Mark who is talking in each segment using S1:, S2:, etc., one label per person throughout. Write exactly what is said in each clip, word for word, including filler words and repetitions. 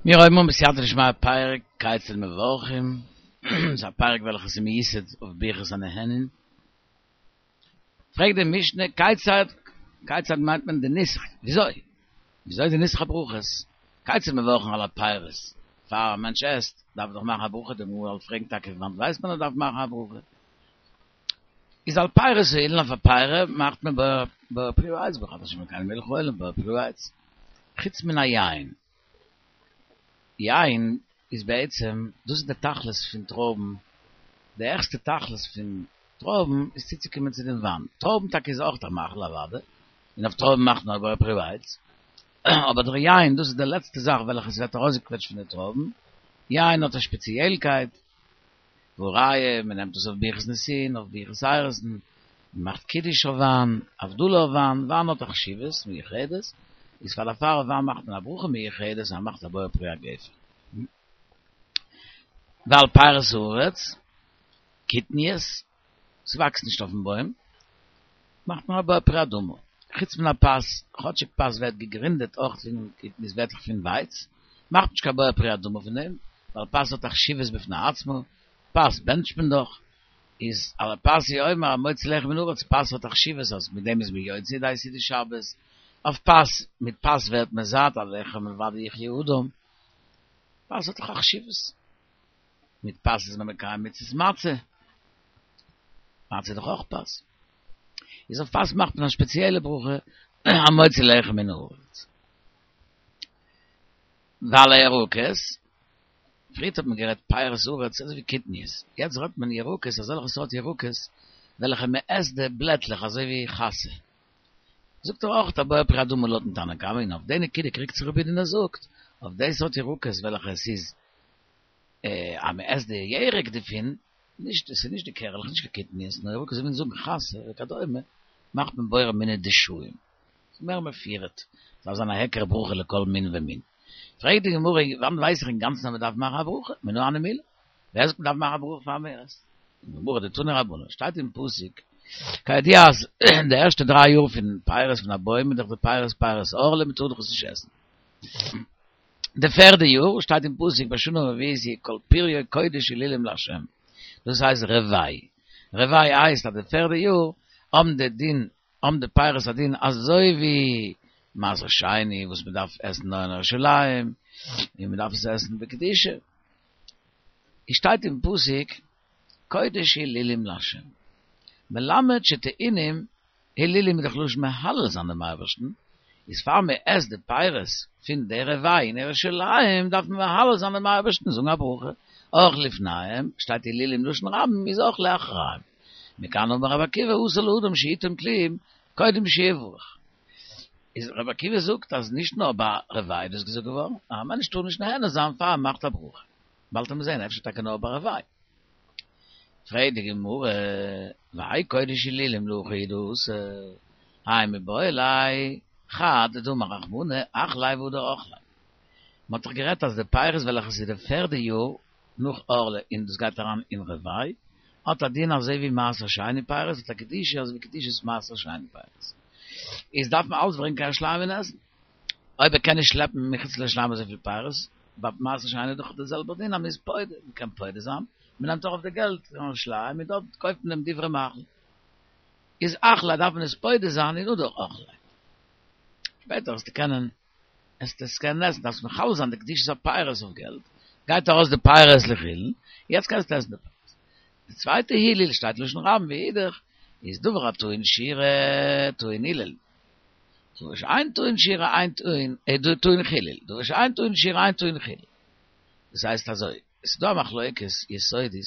S1: מיר הייבן אן בסייעתא דשמיא פרק כיצד מברכים, ס'איז א פרק וועלכע איז מיוסד אויף ברכת הנהנין. פרעגט די משנה כיצד, כיצד מיינט מען די נוסח, וויאזוי? וויאזוי איז די נוסח הברכות? כיצד מברכים על הפירות, פאר א מענטש עסט דארף ער דאך מאכן א ברכה, די גמרא וועט פרעגן טאקע פון וואנט ווייסט מען אז ער דארף מאכן א ברכה? איז על פירות האילן אויף א פרי מאכט מען בורא פרי העץ ברוך אתה ה' אלקינו מלך העולם בורא פרי העץ, חוץ מן היין. יין איז בעצם, דאס איז די תכלית פון טרויבן, די העכסטע תכלית פון טרויבן איז צוצוקומען צו דעם וויין, טרויבן טאקע איז אויך א מאכל אוודאי, און אויף טרויבן מאכט מען בורא פרי העץ, אבער דער יין דאס איז די לעצטע זאך וועלכע עס ווערט ארויסגעקוועטשט פון די טרויבן, יין האט א שפעציעלקייט, והא ראיה, מען נעמט עס אויף ברכת נישואין, אויף ברכת אירוסין, מען מאכט קידוש אויף וויין, הבדלה אויף וויין, וויין האט א חשיבות מיוחדת, איז פאר דערפאר אויף וויין מאכט מען א ברכה מיוחדת, אז מען מאכט א בורא פרי הגפן. ועל פירות הארץ, קטניות, ס'וואקסט נישט אויפן בוים, מאכט מען א בורא פרי האדמה. חוץ מן הפת, כאטשיג פת ווערט געגרינדעט אויך פון קטניות ווערט דאך פון ווייץ, מאכט מען נישט קיין בורא פרי האדמה פון דעם, ווייל פת האט א חשיבות בפני עצמו, פת בענטשט מען דאך, איז על הפת הוא אומר המוציא לחם מן הארץ, פת האט א חשיבות אז מיט דעם איז מען יוצא ידי סעודת שבת, אויף פת, מיט פת ווערט מען זאט, על לחם לבדו יחיה אדם, פת האט דאך א חשיבות, מיט פת איז מען מקיים מצות מצה, מצה איז דאך אויך פת, איז אויף פת מאכט מען א שפעציעלע ברכה המוציא לחם מן הארץ. ועל הירקות, פריערט האט מען גערעדט פירות הארץ אזוי ווי קטניות, יעצט רעדט מען ירקות אזעלכע סארט ירקות וועלכע מען עסט די בלעטלעך אזוי ווי חסה. זאגט ער אויך א בורא פרי האדמה לויטן תנא קמא און אויף די נקודה קריגט זיך רבי יהודה און ער זאגט אויף די סארט ירקות וועלכע עס איז אז מען עסט די ירק דערפון, נישט עס איז נישט די קערעלעך נישט קיין קטניות נאר ירקות ווי מיר זאגן חסה וכדומה מאכט מען בורא מיני דשאים. ס'איז מער מפורט, ס'דארף זיין א היכר ברכה לכל מין ומין. פרעגט די גמרא, וואנעט ווייס איך אינגאנצן אז מ'דארף מאכן א ברכה? מנא הני מילי? ווער זאגט מ'דארף מאכן א ברכה פאר מ'עסט? זאגט די גמרא, דתנו רבנן, שטייט אין פסוק, כידוע אז די ערשטע דריי יאר פון פירות פון א בוים איז דאך די פירות פירות ערלה, מ'טאר דאך עס נישט עסן. די פערדע יאר שטייט אין פסוק בשנה הרביעית יהיה כל פריו קודש הילולים לה', דאס הייסט רבעי, רבעי הייסט אז די פערדע יאר האבן די דין האבן די פירות א דין אזוי ווי מעשר שני וואס מען דארף עסן נאר אין ירושלים און מען דארף עס עסן בקדושה, עס שטייט אין פסוק קודש הילולים לה', מלמד שטעונים הילולים איז דאך לשון מהלל זיין דעם אייבערשטן, איז פאר מען עסט די פירות פון די רבעי אין ירושלים דארף מען מהלל זיין דעם אייבערשטן זאגן א ברכה, אויך לפניהם שטייט הילולים לשון רבים איז אויך לאחריהם. מכאן אמר רבי עקיבא אסור לאדם שיטעום כלום קודם שיברך. איז רבי עקיבא זאגט אז נישט נאר ביי רבעי איז דאס געזאגט געווארן, א מענטש טאר נישט נהנה זיין פאר ער מאכט א ברכה. באלד וועט מען זען אפשר טאקע נאר ביי רבעי. פרעגט די גמרא, והאי קודש הילולים להכי הוא דאתא, האי מיבעי ליה חד דאמר רחמנא אחליה והדר אכליה. מען האט דאך גערעדט אז די פירות וועלכע ס'איז די פערדע יאר נאך ערלה און דאס גייט אריין אין רבעי, האט א דין אזוי ווי מעשר שני פירות, האט א קדושה אזוי ווי קדושת מעשר שני פירות. איז דארף מען אלץ ברענגען קיין ירושלים און עסן. אויב ער קען נישט שלעפן מחוץ לירושלים אזויפיל פירות, ביי מעשר שני איז דאך די זעלבע דין אז מען איז פודה, מען קען פודה זיין, מען נעמט ארויף די געלט אין ירושלים און דארט קויפט מען דעם דברי מאכל. איז אחליה דארף מען עס פודה זיין און הדר אכליה. שפעטער וועסטו קענען עסט עס קענען עסן, דארפסט מחלל זיין די קדושת הפירות אויף געלט, גייט ארויס די פירות לחולין, יעצט קענסטו עסן די פירות. די צווייטע הילול שטייט לשון רבים ואידך איז דבר הטעון שירה טעון הילול, דבר שאין טעון שירה אין טעון טעון חילול, דבר שאין טעון שירה אין טעון חילול. דאס הייסט אזוי, עס איז דא א מחלוקת יסודית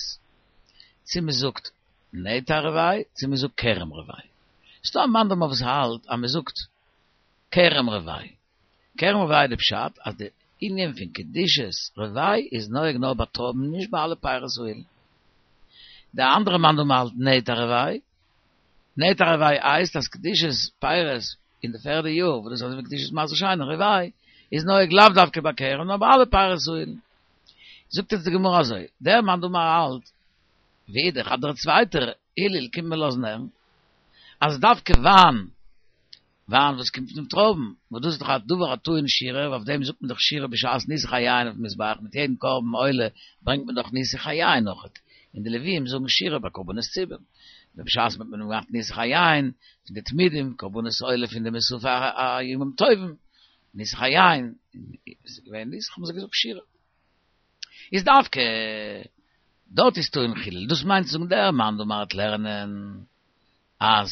S1: צו מען זאגט נטע רבעי צו מען זאגט כרם רבעי. ס'איז דא א מאן דאמר וואס האלט אז מען זאגט כרם רבעי. כרם רבעי די פשט אז די ענין פון קדושת רבעי איז נוהג נאר ביי טרויבן נישט ביי אלע פירות האילן. די אנדערע מאן דאמר האלט נטע רבעי. נטע רבעי הייסט אז קדושת פירות אין די פערדע יאר וואס דאס איז אזוי ווי קדושת מעשר שני רבעי איז נוהג לאו דווקא ביי כרם נאר ביי אלע פירות האילן. זאגט יעצט די גמרא אזוי, דער מאן דאמר האלט ואידך אז דער צווייטער הילול קומט מען לאזן הערן אז דווקא וויין וויין וואס קומט פון טרויבן, וואס דאס איז דאך א דבר הטעון שירה, אויף דעם זאגט מען דאך שירה בשעת ניסוך היין אויפן מזבח, מיט יעדן קרבן עולה ברענגט מען דאך ניסוך היין אויכעט, און די לוויים זאגן שירה ביי קרבנות ציבור, ובשעת מען האט געמאכט ניסוך היין פון די תמידים, קרבנות עולה פון די מוספי הימים טובים, ניסוך היין, איז געווען ניסוך האבן זיי געזאגט שירה. איז דווקא דארט איז טעון חילול, דאס מיינט צו זאגן דער מאן דאמר וועט לערנען אז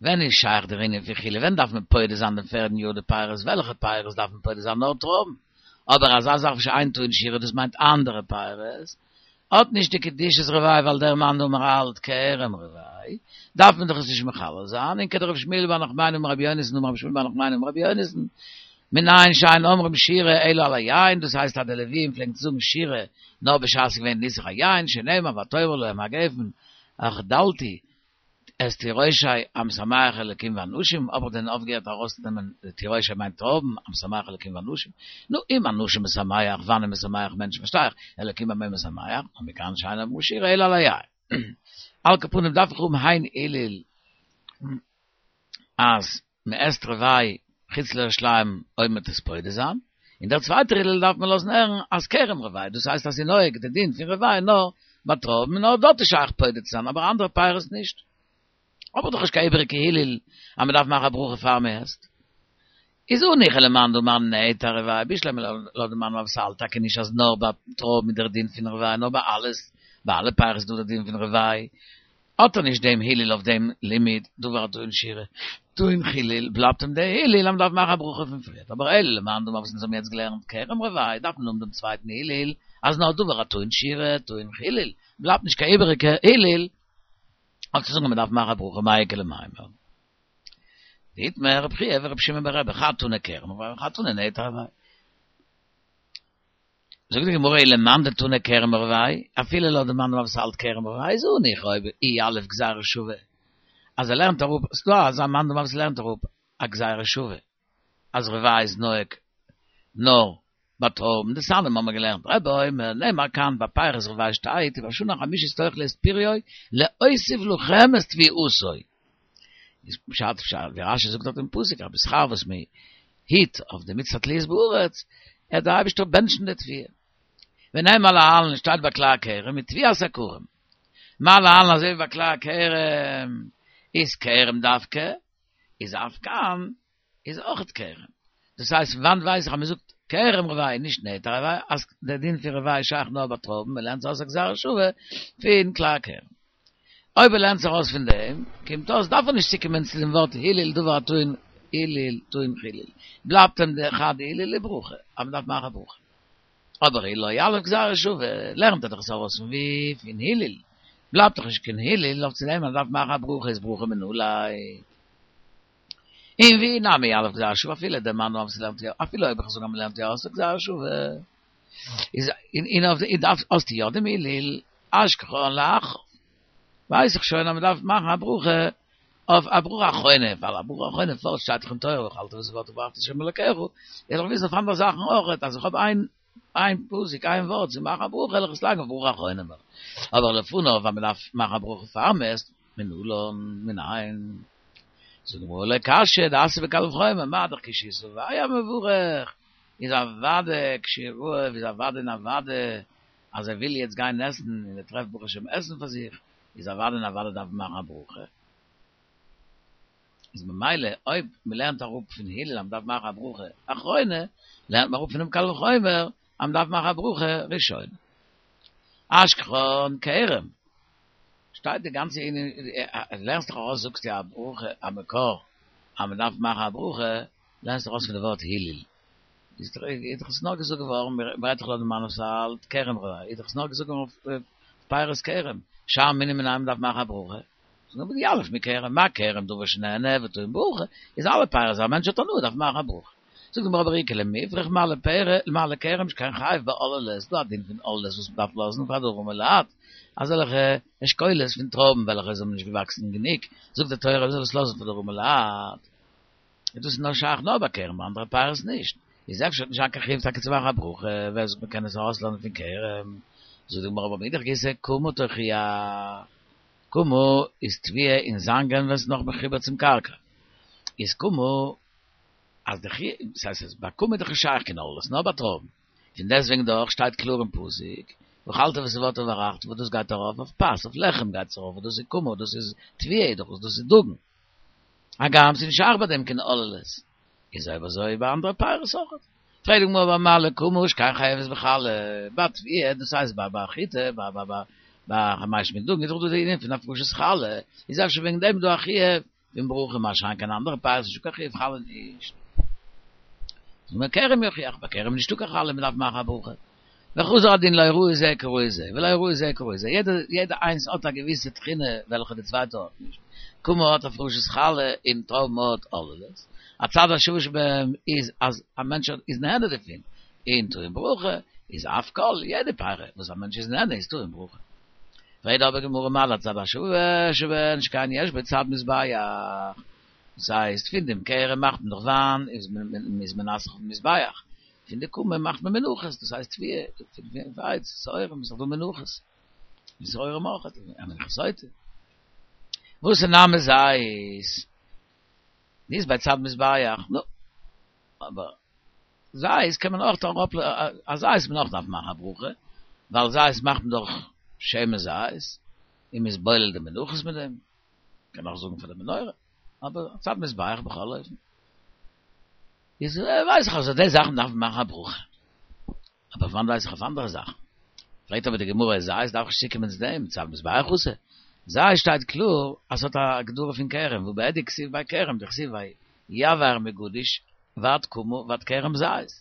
S1: ווען איז שייך דער ענין פון חילול, ווען דארף מען פודה זיין דעם פערדן יאר די פירות, וועלכע פירות דארף מען פודה זיין נאר טרויבן, אבער אזא זאך וואס שאין טעון שירה דאס מיינט אנדערע פירות, האט נישט די קדושת רבעי ווייל דער מאן דאמר האלט כרם רבעי, דארף מען דאך עס נישט מחלל זיין, און כדרב שמואל בר נחמני אמר רבי יונתן אמר רב שמואל בר נחמני אמר רבי יונתן, מנין שאין אומרים שירה אלא על היין, דאס הייסט אז די לוויים פלעגן צו זאגן שירה נאר בשעת ס'איז געווען ניסוך היין, שנאמר ותאמר להם הגפן החדלתי את תירושי המשמח אלקים ואנשים, האב איך דען אויפגעהערט ארויסצונעמען די תירושי מיינט טרויבן, המשמח אלקים ואנשים, נו, אם אנשים משמח, וויין איז משמח מענטשן פארשטיי איך, אלקים במה משמח, ומכאן שאין אומרים שירה אלא על היין. על כל פנים דארף איך האבן איין הלל אז מען עסט רבעי חוץ לירושלים אויב מען וועט עס פודה זיין, און דער צווייטער הלל דארף מען לאזן הערן אז כרם רבעי, דאס הייסט אז ס'איז נוהג די דין פון רבעי נאר ביי טרויבן און נאר דארט איז שייך פודה צו זיין אבער אנדערע פירות נישט. האב איך דאך נישט קיין איבעריגע הלל אז מען דארף מאכן א ברכה פאר מען עסט. איז הניחא למאן דאמר נטע רבעי בשלמא לויט די מאן דאמר וואס האלט טאקע נישט אז נאר ביי טרויבן איז דער דין פון רבעי נאר ביי אלעס ביי אלע פירות איז דא דער דין פון רבעי האט ער נישט דעם הלל אויף דעם לימוד דבר הטעון שירה טעון חילול בלייבט אים דער הלל אז מען דארף מאכן א ברכה פון פריערט אבער אלא למאן דאמר וואס אונז האבן יעצט געלערנט כרם רבעי דארף מען האבן דעם צווייטן הלל אז נאר דבר הטעון שירה טעון חילול בלייבט נישט קיין איבעריגע הלל אויף צו זאגן אז מען דארף מאכן א ברכה מאי איכא למימר. דאיתמר רבי חייא ורבי שמעון ברבי חד תני כרם רבעי וחד תני נטע רבעי. זאגט די גמרא ולמאן דתני כרם רבעי, אפילו לויט די מאן דאמר וואס האלט כרם רבעי איז הניחא אויב אי יליף גזירה שווה, אז ער לערנט אראפ, ס'דא אזא מאן דאמר וואס לערנט אראפ א גזירה שווה, אז רבעי איז נוהג נאר ביי טרויבן, דתניא האבן מיר געלערנט רבי אומר, נאמר כאן ביי פירות רבעי שטייט ובשנה החמישית תאכלו את פריו להוסיף לכם את תבואתו. איז פשט פשט ווי רשי זאגט דארט אין פסוק אז בשכר וואס מען היט אויף די מצות התלויות בארץ, וועט דער אייבערשטער בענטשן די תבואה. ונאמר להלן שטייט ביי כלאי הכרם ותבואת הכרם. מה להלן אזוי ווי ביי כלאי הכרם איז כרם דווקא, איז אף כאן איז אויכעט כרם. דאס הייסט פון וואנט ווייס איך אז מען זאגט כרם רבעי נישט נטע רבעי אז דער דין פון רבעי איז שייך נאר ביי טרויבן, מען לערנט זיך אויס א גזירה שווה פון כלאי הכרם. אויב ער לערנט זיך אויס פון דעם, קומט אויס דארף ער נישט צוקומען צו דעם ווארט הלל דבר הטעון הלל טעון חילול, בלייבט אים דער חד הלל לברכה, אז מען דארף מאכן א ברכה. אבער אי לא יליף גזירה שווה, לערנט ער דאך עס ארויס פון ווי? פון הלל. בלייבט דאך נישט קיין הלל אויף צו דעם אז מען דארף מאכן א ברכה איז ברכה מנא ליה. און ואי נמי יליף גזירה שווה אפילו דער מאן דאמר וואס לערנט יא, אפילו אויב איך זאג אז מען לערנט יא אויס א גזירה שווה, איז און אויף די דארף האסטו יא דעם הלל, אשכחן לאחריו, ווייס איך שוין אז מען דארף מאכן א ברכה אויף א ברכה אחרונה, ווייל א ברכה אחרונה פארט שטייט דאך אין תורה ואכלת ושבעת וברכת את ה' אלקיך, איך זאל וויסן אויף אנדערע זאכן אויך, אז איך האב איין איין פסוק איין ווארט צו מאכן א ברכה וועל איך עס לייגן אויף ברכה אחרונה, אבער לפניו אז מען דארף מאכן א ברכה פאר מען עסט, מנלן, מנין. זאגט די גמרא לא קשיא דאתיא בקל וחומר, מה דאך כשהוא שבע מברך, איז אוודאי כשהוא רעב איז אוודאי און אוודאי אז ער וויל יעצט גיין עסן און ער טרעפט ברוך השם עסן פאר זיך, איז אוודאי און אוודאי דארף מען מאכן א ברכה. איז ממילא אויב מען לערנט אראפ פון הלל אז מען דארף מאכן א ברכה אחרונה, לערנט מען אראפ פונעם קל וחומר אז מען דארף מאכן א ברכה ראשונה. אשכחן כרם. שטייט די גאנצע ענין, לערנסט דאך ארויס זאגסטו א ברכה א מקור אז מען דארף מאכן א ברכה, לערנסט דאך ארויס פון די ווארט הלל. איז דאך עס נאר געזאגט געווארן, מ'רעדט דאך לויט די מאן וואס האלט כרם רבעי, איז דאך עס נאר געזאגט געווארן אויף פירות כרם, שאר מינים מנין מ'דארף מאכן א ברכה, זאגט מען דיליף מכרם, מה כרם דבר שנהנה וטעון ברכה, איז אלע פירות אז א מענטש האט הנאה דארף מען מאכן א ברכה. זאגט די גמרא אבער איכא למיפרך מה לפרא מה לכרם שכן חייב באוללות, ס'דא א דין פון עוללות וואס מ'דארף לאזן פאר די ארעמע לייט, אזעלכע אשכולות פון טרויבן וועלכע זיי האבן נישט געוואקסן גענוג, זאגט די תורה מ'זאל עס לאזן פאר די ארעמע לייט, איז דאס נאר שייך נאר ביי כרם ביי אנדערע פירות נישט, איז אפשר וועט נישט זיין קיין חיוב טאקע צו מאכן א ברכה, ווער זאגט מ'קען עס ארויסלערנען פון כרם, זאגט די גמרא אבער מאידך גיסא קמה תוכיח, קמה איז תבואה אין זאנגען ווען ס'איז נאך מחובר צום קרקע, איז קומו, אז דער חיוב, דאס הייסט אז ביי קומה איז דאך נישט שייך קיין ערלות, נאר ביי טרויבן. פון דעסטוועגן דאך שטייט קלאר אין פסוק, ואכלת ושבעת וברכת, וואס דאס גייט ארויף אויף פת, אויף לחם גייט עס ארויף, וואס דאס איז קומה, דאס איז תבואה דאך, דאס איז דגן. הגם ס'איז נישט שייך ביי דעם קיין ערלות. איז אויב אזוי ביי אנדערע פירות אויך. פרעגט די גמרא מה לקומה שכן חייבת בחלה, ביי תבואה, דאס הייסט ביי ביי חיטה, ביי ביי ביי ביי חמשה מיני דגן, איז דאך דא די ענין פון הפרשת חלה, איז אפשר וועגן דעם דא א חיוב פון ברכה, מה שאין כן אנדערע פירות איז נישטא קיין חיוב חלה נישט. זאגט מען כרם יוכיח, ביי כרם איז נישטא קיין חלה, מען דארף מאכן א ברכה. וחזר הדין לא ראי זה כראי זה, ולא ראי זה כראי זה, יעדע יעדע איינס האט א געוויסע תכונה וועלכע די צווייטע האט נישט. קומה האט הפרשת חלה און טרויבן האט ערלות. הצד השוה שבהם איז אז א מענטש איז נהנה דערפון, און טעון ברכה איז אף כל, יעדע פרי וואס א מענטש איז נהנה איז טעון ברכה. פרעגט אבער גמרא מה להצד השווה שבהן שכן יש בו צד מזבח, דאס הייסט פון דעם כרם מאכט מען דאך וויין איז מען איז מנסך אויפן מזבח, פון די קומה מאכט מען מנחות, דאס הייסט תבואה, פון ווייץ, שעורים איז דאך דא מנחות, און שעורים אויך, א מנחת סוטה. ואתא נמי זית, דאית ביה צד מזבח, נו, אבער זית קען מען אויך אראפ, א זית מען אויך דארף מאכן א ברכה, ווייל זית מאכט מען דאך שמן זית, און מ'איז בולל די מנחות מיט דעם, קען אויך זאגן פאר די מנורה, אבער צד מזבח בכל אופן. איז ווייס איך אז אויף די זאכן דארף מען מאכן א ברכה, אבער פון וואנעט ווייס איך אויף אנדערע זאכן? פרעגט אבער די גמרא זית דארף איך נישט צוקומען צו דעם, צד מזבח אתי, זית שטייט קלאר אז ס'האט א הגדרה פון כרם, והא בהדיא כתיב ביה כרם, דכתיב ויבער מגדיש ועד קמה ועד כרם זית.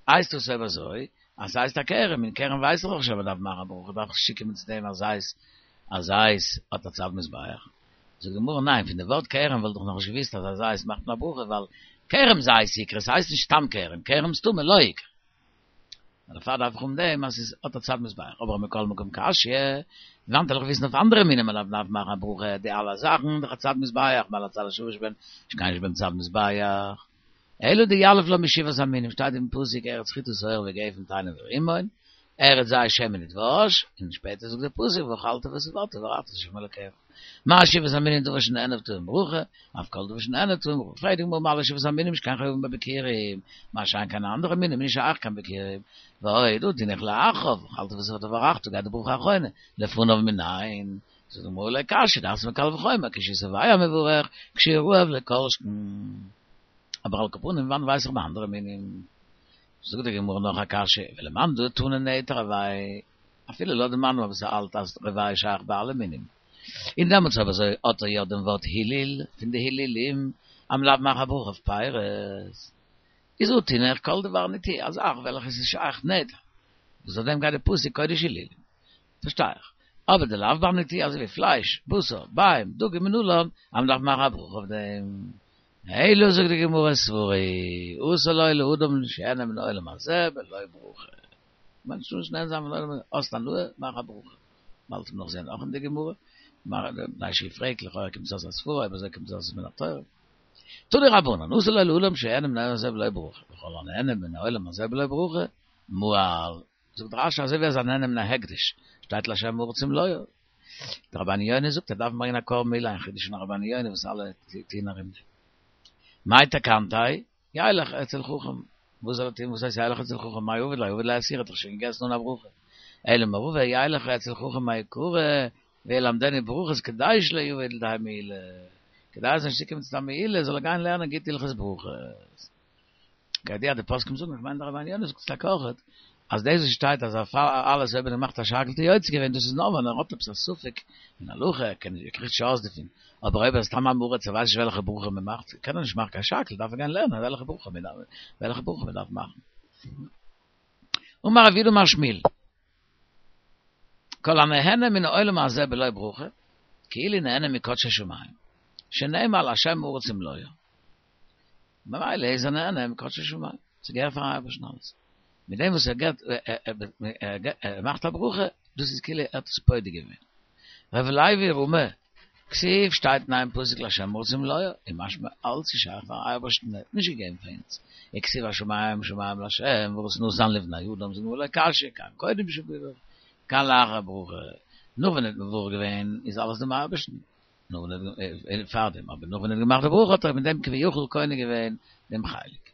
S1: הייסט דאס אויב אזוי אז ס'הייסט א כרם, און כרם ווייס איך דאך שוין מ'דארף מאכן א ברכה, דארף איך נישט צוקומען צו דעם אז זית אז זית האט א צד מזבח. זאגט די גמרא ניין, פון די ווארט כרם וואלט איך נאכנישט געוואוסט אז א זית מאכט מען א ברכה, ווייל כרם זית איקרי, ס'הייסט נישט סתם כרם, כרם סתמא לא איקרי. דערפאר דארף איך האבן דעם אז עס האט א צד מזבח, אבער מכל מקום קשיא, וואנעט וועל איך וויסן אויף אנדערע מינים מען דארף מאכן א ברכה, די אלע זאכן דאך א צד מזבח, מה להצד השווה שבהן שכן יש בהם צד מזבח, אלא דיליף לה משבעת המינים, שטייט אין פסוק ארץ חיטה ושעורה וגפן תאנה ורימון, ארץ זית שמן ודבש, און שפעטער זאגט דער פסוק ואכלת ושבעת וברכת את ה' אלקיך. מה שבעת המינים דבר שנהנה טעון ברכה, אף כל דבר שנהנה טעון ברכה. פרעגט די גמרא מה לשבעת המינים שכן חייבין בביכורים, מה שאין כן אנדערע מינים נישט שייך קיין ביכורים, ועוד הא תינח לאחריו, ואכלת ושבעת וברכת גייט די ברכה אחרונה, לפניו מנין? זאגט די גמרא לא קשיא, דאתמר קל וחומר, כשהוא שבע מברך, כשהוא רעב לא כל שכן. אבער על כל פנים וואנעט ווייס איך ביי אנדערע מינים? זאגט די גמרא נאך א קשיא, ולמאן דתני נטע רבעי, אפילו לויט די מאן וואס האלט אז רבעי שייך ביי אלע מינים, און דעמאלטס אויב אזוי האט ער יא דעם ווארט הילול פון די הילולים אז מ'דארף מאכן א ברכה אויף פירות, איז הא תינח כל דבר נטיעה, א זאך וועלכע איז שייך נטע, וואס אויף דעם גייט די פסוק קודש הילולים, פארשטיי איך. אבער דלאו בר נטיעה אזוי ווי פלייש, בשר, ביעים, דגים מנלן, אז מ'דארף מאכן א ברכה אויף דעם. אלא זאגט די גמרא סברא הוא אסור לו לאדם שיהנה מן העולם הזה בלא ברכה. מענטש טאר נישט נהנה זיין פון עולם הזה, האסט הנאה, מאך א ברכה. באלד וועט מען נאך זען אויך אין די גמרא, מפני שהוא פרעגט לכאורה קומט עס אויס א סברא, אויב אזוי קומט עס אויס מן התורה. תנו רבנן, אסור לו לאדם שיהנה מן העולם הזה בלא ברכה, וכל הנהנה מן העולם הזה בלא ברכה, מעל. זאגט רש"י אזוי ווי ער איז א נהנה מן ההקדש, שטייט להשם הארץ ומלואה. דער רבינו יונה זאגט ער דארף ברענגען א קרבן מעילה, א חידוש פון רבינו יונה וואס אלע טוען ארום דעם. מאי תקנתיה? ילך אצל חכם. וואס זאל ער טון? וואס הייסט ילך אצל חכם? מאי עביד ליה? עביד ליה איסורא, האט דאך שוין געגעסן אן א ברכה. אלא אמר רבא ילך אצל חכם מעיקרא וילמדנו ברכות כדי שלא יבא לידי מעילה. כדי ער זאל נישט צוקומען צו א מעילה זאל ער גיין לערנען גוט הלכות ברכות. כידוע די פוסקים זאגן, איך מיין דער רבינו יונה זאגט עס טאקע אויכעט, אז דאס וואס שטייט אז אלעס אויב ער מאכט א שהכל האט ער יוצא געווען דאס איז נאר ווען ער האט עפעס א ספק אין הלכה, ער קען נישט ער קריגט נישט אויס דערפון, אבער אויב ער איז סתם עם הארץ ער ווייסט נישט וועלכע ברכה מען מאכט, קען ער נישט מאכן קיין שהכל, דארף ער גיין לערנען וועלכע ברכה מען דארף וועלכע ברכה מען דארף מאכן. אמר רב יהודה אמר שמואל, כל הנהנה מן העולם הזה בלא ברכה, כאילו נהנה מקדשי שמים, שנאמר להשם הארץ ומלואה. ממילא איז ער נהנה מקדשי שמים, ס'געהערט פארן אייבערשטן אלעס. מיט דעם וואס ער געבט, ער מאכט א ברכה, דאס איז כאילו ער האט עס פודה געווען. ר' לוי רמי, כתיב שטייט אין איין פסוק להשם הארץ ומלואה, איז משמע אלץ איז שייך פארן אייבערשטן, ער האט נישט געגעבן פאר אונז. וכתיב השמים שמים להשם והארץ נתן לבני אדם, זאגט די גמרא לא קשיא, כאן קודם שבירך, כאן לאחר ברכה. נאך ווען ער האט מברך געווען איז אלעס דעם אייבערשטן. נאך ווען פאר דעם, אבער נאך ווען ער האט געמאכט די ברכה האט ער מיט דעם כביכול קונה געווען דעם חלק.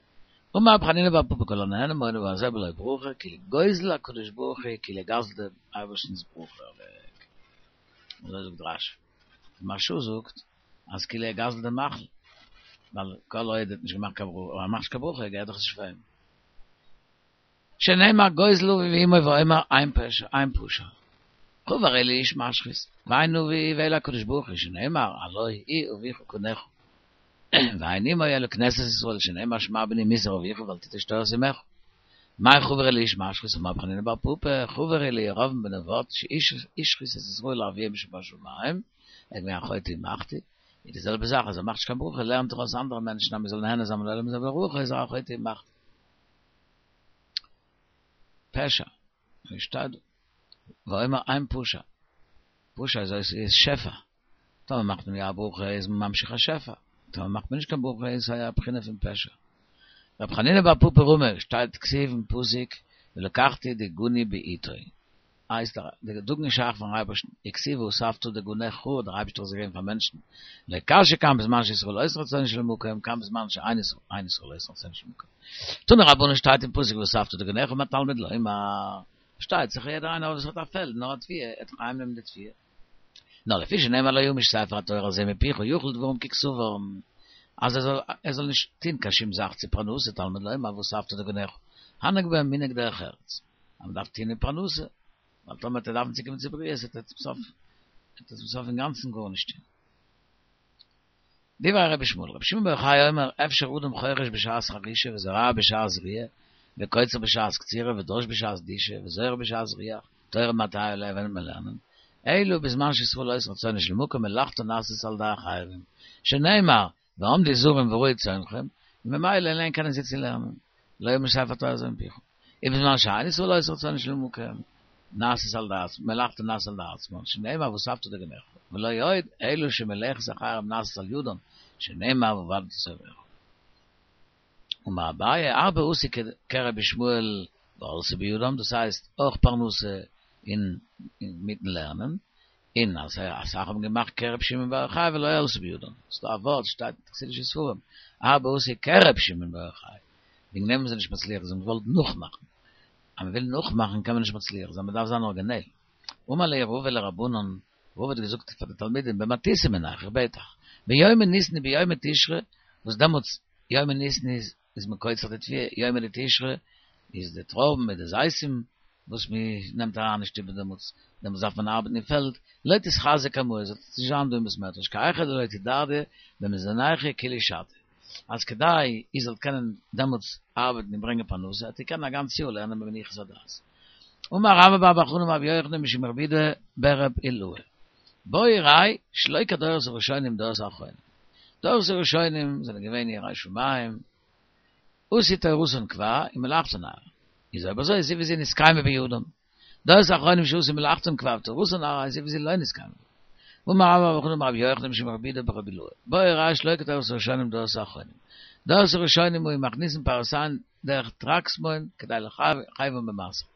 S1: אמר רב חנינא בר פפא כל הנהנה מעולם הזה בלא ברכה כאילו גוזל הקדוש ברוך הוא כאילו גזל'ט דעם אייבערשטנ'ס ברכה אוועק. אזוי זאגט רשי. די מהרשא זאגט אז כאילו ער גזל'ט דעם מאכל, ווייל כל עוד ער האט נישט געמאכט קיין ברכה, ער מאכט נישט קיין ברכה געהערט דאך עס נישט פאר אים. שנאמר גוזל אביו ואמו ואומר אין פשע אין פשע. חבר אלי איש משחית, ואין אביו אלא הקדוש ברוך הוא שנאמר הלא הוא אביך קנך. ואין אמו אלא כנסת ישראל שנאמר שמע בני מוסר אביך ואל תטוש תורת אמך. מאי חבר אלי איש משחית אמר רב חנינא בר פפא חבר אלי ירבעם בן נבט שהשחית את ישראל לאביהם שבשמים, ער איז געווען א חוטא ומחטיא, איז די זעלבע זאך אז ער מאכט נישט קיין ברכה לערנט ער אויס אנדערע מענטשן אז מען זאל נהנה זיין מן העולם הזה בלא ברכה איז ער א חוטא ומחטיא. פשע, ווי שטייט דא? ואומר אין פשע, פשע איז אויס איז שפע, טאמער מאכט מען יא א ברכה איז מען ממשיך א שפע, טאמער מאכט מען נישט קיין ברכה איז א בחינה פון פשע. רב חנינא בר פפא רמי, שטייט כתיב אין פסוק ולקחתי דגני בעתו. הייסט דער דגן איז שייך פארן אייבערשטן, וכתיב ואספת דגנך, דער אייבערשטער האט עס געגעבן פאר מענטשן, לא קשיא כאן בזמן שישראל עושין רצונו של מקום, כאן בזמן שאין ישראל עושין רצונו של מקום. תנו רבנן שטייט אין פסוק ואספת דגנך מה תלמוד לומר, פארשטייט זיך יעדער איינער וואס האט א פעלד נאר א תבואה, ער וועט דאך אהיים נעמען די תבואה. נאר לפי שנאמר לא ימוש ספר התורה הזה מפיך יחול דברים ככתבם, אז ער זאל ער זאל נישט טוהן קיין שום זאך צו פרנסה תלמוד לומר ואספת דגנך, הנהג בהם מנהג דרך ארץ, אז מען דארף טוהן אין פרנסה, ווייל טאמער וועט ער דארפן צוקומען צו בריות וועט ער צום סוף וועט ער צום סוף אינגאנצן גארנישט טוהן. דברי רבי ישמעאל, רבי שמעון בר יוחאי אומר, אפשר אדם חורש בשעת חרישה וזורע בשעת זריעה, וקוצר בשעת קצירה ודש בשעת דישה וזורה בשעת זריעה, תורה מתי עליה ווען וועט מען לערנען, אלא בזמן שישראל עושין רצונו של מקום מלאכתן נעשית על ידי אחרים, שנאמר, ועמדו זרים ורעו צאנכם, וממילא אליין קענען זיי צו לערנען, לא ימוש ספר התורה הזה מפיך. ובזמן שאין ישראל עושין רצונו של מקום, נעשית על ידי עצמן, מלאכתן נעשית על ידי עצמן, שנאמר ואספת דגנך, ולא עוד אלא שמלאכת אחרים נעשית על ידם, שנאמר ועבדת את אויביך. אמר אביי, הרבה עשו כרבי ישמעאל ועלתה בידם, דאס הייסט אויך פרנסה אין מיטן לערנען, און אז אסאך האבן געמאכט כרבי שמעון בר יוחאי ולא עלתה בידם, ס'דא א ווארט שטייט אין חסידישע ספרים, הרבה עשו כרבי שמעון בר יוחאי, וועגן דעם איז ער נישט מצליח, זיי האבן געוואלט נאכמאכן, אז מ'וויל נאכמאכן קען מען נישט מצליח זיין, מ'דארף זיין ארגינעל. אמר להו רבא לרבנן, רבא האט געזאגט פאר די תלמידים, במתיתא מינייכו, איך בעט אייך, ביומי ניסן וביומי תשרי, וואס דעמאלטס יומי ניסן איז איז מען קוצר די תבואה, יומי דתשרי איז די טרויבן מיט די זיתים וואס מען נעמט אריין אין שטוב דעמאלטס, דעמאלטס דארף מען ארבעטן אין פעלד, לא תתחזו קמאי, זאלט איר נישט זיין דא אין בית מדרש, כי היכי דלא תדרדו במזונייכו כולא שתא, אז כדי איר זאלט קענען דעמאלטס ארבעטן און ברענגען פרנסה, זאלט איר קענען א גאנץ יאר לערנען במנוחת הדעת. אמר רבה בר בר חנה אמר רבי יוחנן משום רבי יהודה ברבי אילעאי, בוא וראה שלא כדורות הראשונים דורות האחרונים. דורות הראשונים זענען געווען יראי שמים, עשו תורתן קבע ומלאכתן עראי. איז אויב אזוי זו וזו נתקיימה בידם. דורות האחרונים שעשו מלאכתן קבע ותורתן עראי זו וזו לא נתקיימה בידם. ואמר רבה בר בר חנה אמר רבי יוחנן משום רבי יהודה ברבי אילעאי, בוא וראה שלא כדורות הראשונים דורות האחרונים. דורות הראשונים היו מכניסין פירותיהן דרך טרקסמון כדי לחייבן במעשר.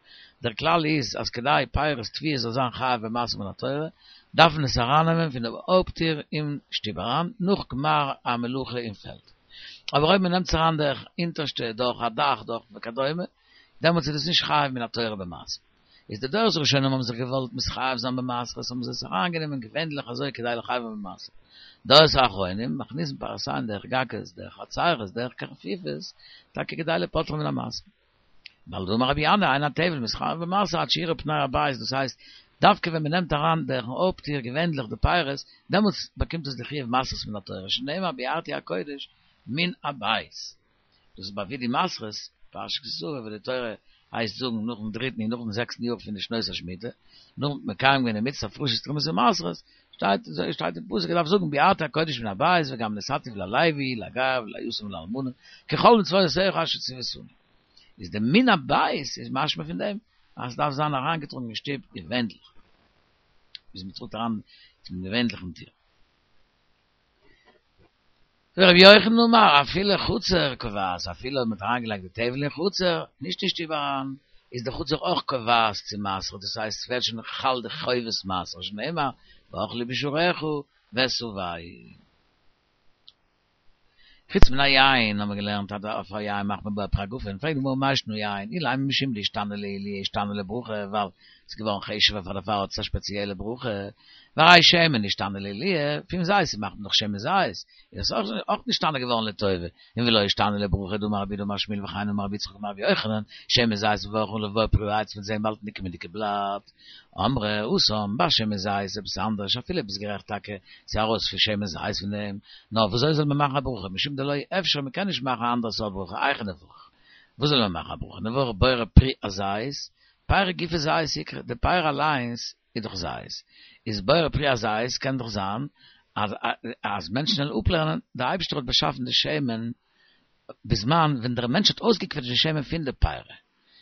S1: דער כלל איז אז כדי פירות תבואה זאל זיין חייב במעשר מן התורה, דארף מען עס ארייננעמען פון דעם הויפט טיר אין שטוב אריין, נאך גמר המלאכה אין פעלד. אבער אויב מען נעמט עס אריין דורך אונטערשטע, דורך א דאך, דורך וכדומה, דעמאלטס איז דאס נישט חייב מן התורה במעשר. איז די דורות הראשונים האבן זיך געוואלט מתחייב זיין במעשרות האבן זיי עס אריינגענומען געווענדליך אזוי כדי לחייבן במעשר. דורות האחרונים מכניסין פירותיהן דרך גגות, דרך חצרות, דרך קרפיפות, טאקע כדי לפוטרן מן המעשר. ווייל דאמר רבי ינאי אין הטבל מתחייב במעשר עד שיראה פני הבית, דאס הייסט, דווקא ווען מען נעמט אריין דורכן הויפט טיר געווענדליך די פירות, דעמאלטס באקומט עס די חיוב מעשרות מן התורה, שנאמר ביארתי הקודש מן הבית. דאס איז ביי וידוי מעשרות, פרשת כי תבוא, וואו די תורה הייסט זאגן נאכן דריטן און נאכן זעקסטן יאר פון די שנות השמיטה, נאכן מקיים געווען די מצוה הפרשת תרומות ומעשרות, שטייט אזוי שטייט אין פסוק, מ'דארף זאגן ביארתי הקודש מן הבית וגם נתתיו ללוי לגר וליתום ולאלמנה ככל מצוותיך אשר צויתנו. איז די מן הבית איז משמע פון דעם אז ס'דארף זיין אריינגעטראגן אין שטוב געווענדליך, ביז מ'טראגט אריין צום געווענדליכן טיר. ורבי יוחנן אמר, אפילו חצר קובעת, אפילו אויב מ'האט אריינגעלייגט די טבל אין חצר, נישט אין שטוב אריין, איז די חצר אויך קובעת צו מעשר, דאס הייסט ס'ווערט שוין חל די חובת מעשר, שנאמר, ואכלו בשעריך, ותו. חוץ מן היין, האבן מיר געלערנט, אז אויף א יין מאכט מען בורא פרי הגפן, פרעגט די גמרא מאי שנא יין, אילימא משום דאישתני לעילויה אישתני לברכה, ווייל ס'איז געווארן חשוב'ער פאר דערפאר האט עס א שפעציעלע ברכה, והרי שמן נשתנה לעילויה, פון זית מאכט מען דאך שמן זית, איז עס אויך נשתנה געווארן לטובה, און ולא אישתני לברכה דאמר רב יהודה אמר שמואל וכן אמר רבי יצחק אמר רבי יוחנן, שמן זית מברכין עליו בורא פרי העץ מ'וועט זען באלד אין די קומענדיגע בלאט. אמרי התם בשמן זית עפעס אנדערש אפילו ביסט גערעכט טאקע ס'איז ארויס פון שמן זית פון דעם, נאר וואזוי זאל מען מאכן א ברכה משום דלא אפשר מ'קען נישט מאכן א אנדערע סארט ברכה היכי נברך וואס זאל מען מאכן א ברכה נברך בורא פרי הזית פירא גופיה זית איקרי די פירא אליינס איז דאך זית איז בורא פרי הזית קען דאך זיין אז אז מענטשן וועלן אפלערנען די אייבערשטער האט באשאפן די שמן בזמן ווען דער מענטש האט אויסגעקוועטשט די שמן פון די פירא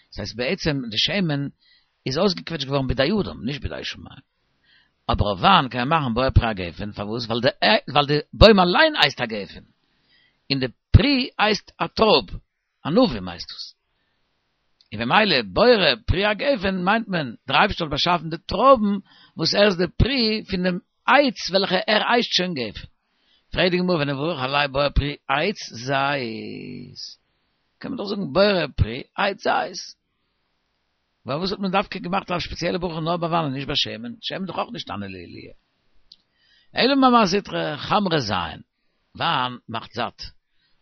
S1: דאס הייסט בעצם די שמן איז אויסגעקוועטשט געווארן בידי אדם, נישט בידי שמים. אבער אויף וויין קען מען מאכן בורא פרי הגפן, פארוואס? ווייל די ווייל די בוים אליין הייסט א גפן, און די פרי הייסט א טרויב, ענבים הייסט דאס. און במילא בורא פרי הגפן מיינט מען, דער אייבערשטער האט באשאפן די טרויבן וואס ער איז די פרי פון דעם עץ וועלכע ער הייסט שוין גפן. פרעגט די גמרא ונברך עליה בורא פרי עץ זית. קען מען דאך זאגן בורא פרי עץ זית. פארוואס האט מען דווקא געמאכט א שפעציעלע ברכה נאר ביי וויין און נישט ביי שמן? שמן איז דאך אויך נשתנה לעילויה. אלא ממאי זוטרא חמרא זיין, וויין מאכט זאט,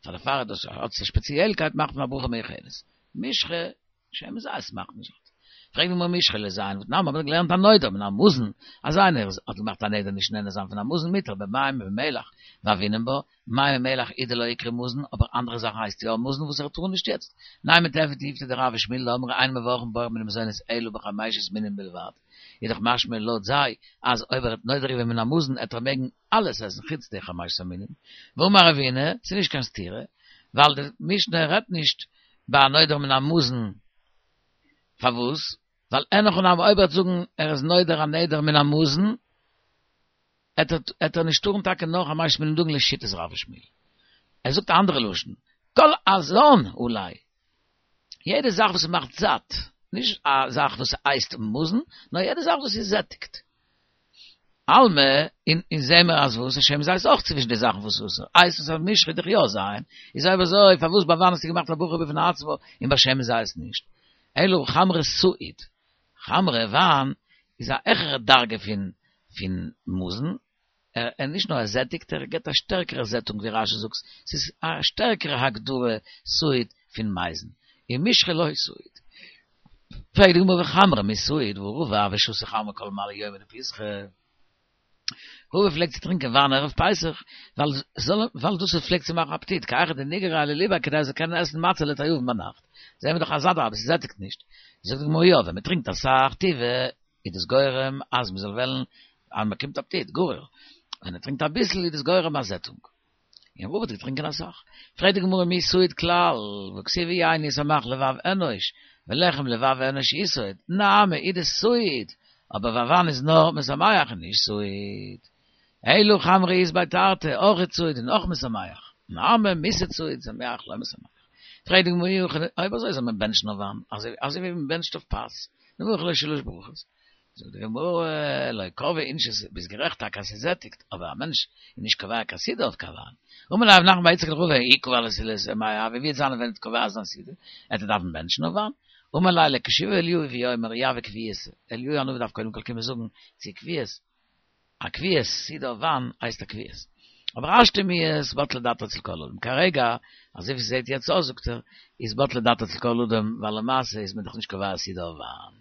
S1: פאר דערפאר איז דאס האט עס א שפעציעלקייט מאכט מען א ברכה מיוחדת. משחא, שמן זית מאכט נישט זאט. פרעגט די גמרא משחא לזיין, והתנן מ'האט געלערנט הנודר מן המזון, אז איינער האט געמאכט א נדר נישט נהנה זיין פון א מזון מותר במים ובמלח, והוינן בה, מים ומלח הוא דלא איקרי מזון, אבער אנדערע זאכן הייסט יא מזון וואס ער טאר נישט יעצט. נימא תיהוי תיובתא דרב ושמואל דאמרי אין מברכין בורא מיני מזונות אלא בחמשת מינים בלבד, איז דאך משמע לויט זיי אז אויב ער האט נודר געווען מן המזון עט ער מעגן אלעס עסן חוץ די חמשת המינים. ואמר רבינא, ס'איז נישט קיין סתירה, ווייל די משנה רעדט נישט ביי א נודר מן המזון, פארוואס? ווייל אין הכי נמי אויב ער וועט זאגן ער איז נודר א נדר מן המזון, עט ער נישט טארן טאקע נאר חמשת מיני דגן לשיטת רב ושמואל. ער זאגט א אנדערע לשון, כל הזן עלי. יעדע זאך וואס מאכט זאט, נישט א זאך וואס הייסט מזון, נאר יעדע זאך וואס איז זעטיגט. אלמא, און אונז זעהן מיר אז וואס? שמן זית איז אויך צווישן די זאכן וואס אסור. הייסט עס אז משחא וועט דאך יא זיין, איז אויב אזוי פארוואס ביי וויין האסטו געמאכט א ברכה בפני עצמו און ביי שמן זית נישט? אלא חמרא סעיד. חמרא, וויין, איז א העכערע דרגה פון פון מזון, ער ער נישט נאר ער זעטיגט, ער געבט א שטערקערע זעטונג ווי רש"י זאגט, ס'איז א שטערקערע הגדרה סעיד פון מזון, און משחא לא סעיד. פרעגט די גמרא וחמרא מי סעיד והא רבא הוה שתי חמרא כל מעלי יומא דפסחא. רבא פלעגט צו טרינקען וויין ערב פסח, ווייל זאל ווייל דאס פלעגט צו מאכן אפעטיט, כי היכי דניגריה לליביה כדי ער זאל קענען עסן מצה לתיאבון ביינאכט. זעהן מיר דאך אז אדרבה ס'זעטיגט נישט. זאגט די גמרא יא, ווען מ'טרינקט אסאך טובא איז דאס גורם אז מ'זאל וועלן אז מ'באקומט אפעטיט, גריר. ווען ער טרינקט אביסל איז דאס גורם א זעטונג. און רבא האט געטרינקען אסאך. פרעגט די גמרא מי סעיד כלל, והכתיב יין ישמח לבב אנוש, ולחם לבב אנוש יסעוד, נהמא הוא דסעיד, אבער וויין איז נאר משמח און נישט סעיד. אלא חמרא אית ביה תרתי, אויך סעיד און אויך משמח. נהמא מיסעד סעיד, שמח לא משמח. פרעגט די גמרא אי הכי, אויב אזוי זאל מען בענטשן אויף וויין, אזוי ווי מען בענטשט אויף פת, נברך עליה שלש ברכות. זאגט די גמרא, לא קבעי אינשי, ביסט גערעכט טאקע אז ס'זעטיגט, אבער א מענטש איז נישט קובע קיין סעודה אויף קיין וויין. אמר ליה רב נחמן בר יצחק לרבא, אי קבע ליה סעודתא מאי הוי, ווי וועט זיין ווען ער וועט קובע זיין סעודה, עט ער דארפן בענטשן אויף וויין? אמר ליה לכשיבא אליהו ויאמר אי הוי קביעותא, אליהו הנביא דארף קודם כל קומען זאגן צו קביעות, א קביעות, סעודה אויף וויין הייסט א קביעות. אבער השתא מיהת בטלה דעתו אצל כל אדם. כרגע, אזוי ווי ס'זעט יעצט אויס זאגט ער, איז בטלה דעתו אצל כל אדם, ווייל למעשה איז מען דאך נישט קובע א סעודה אויף וויין.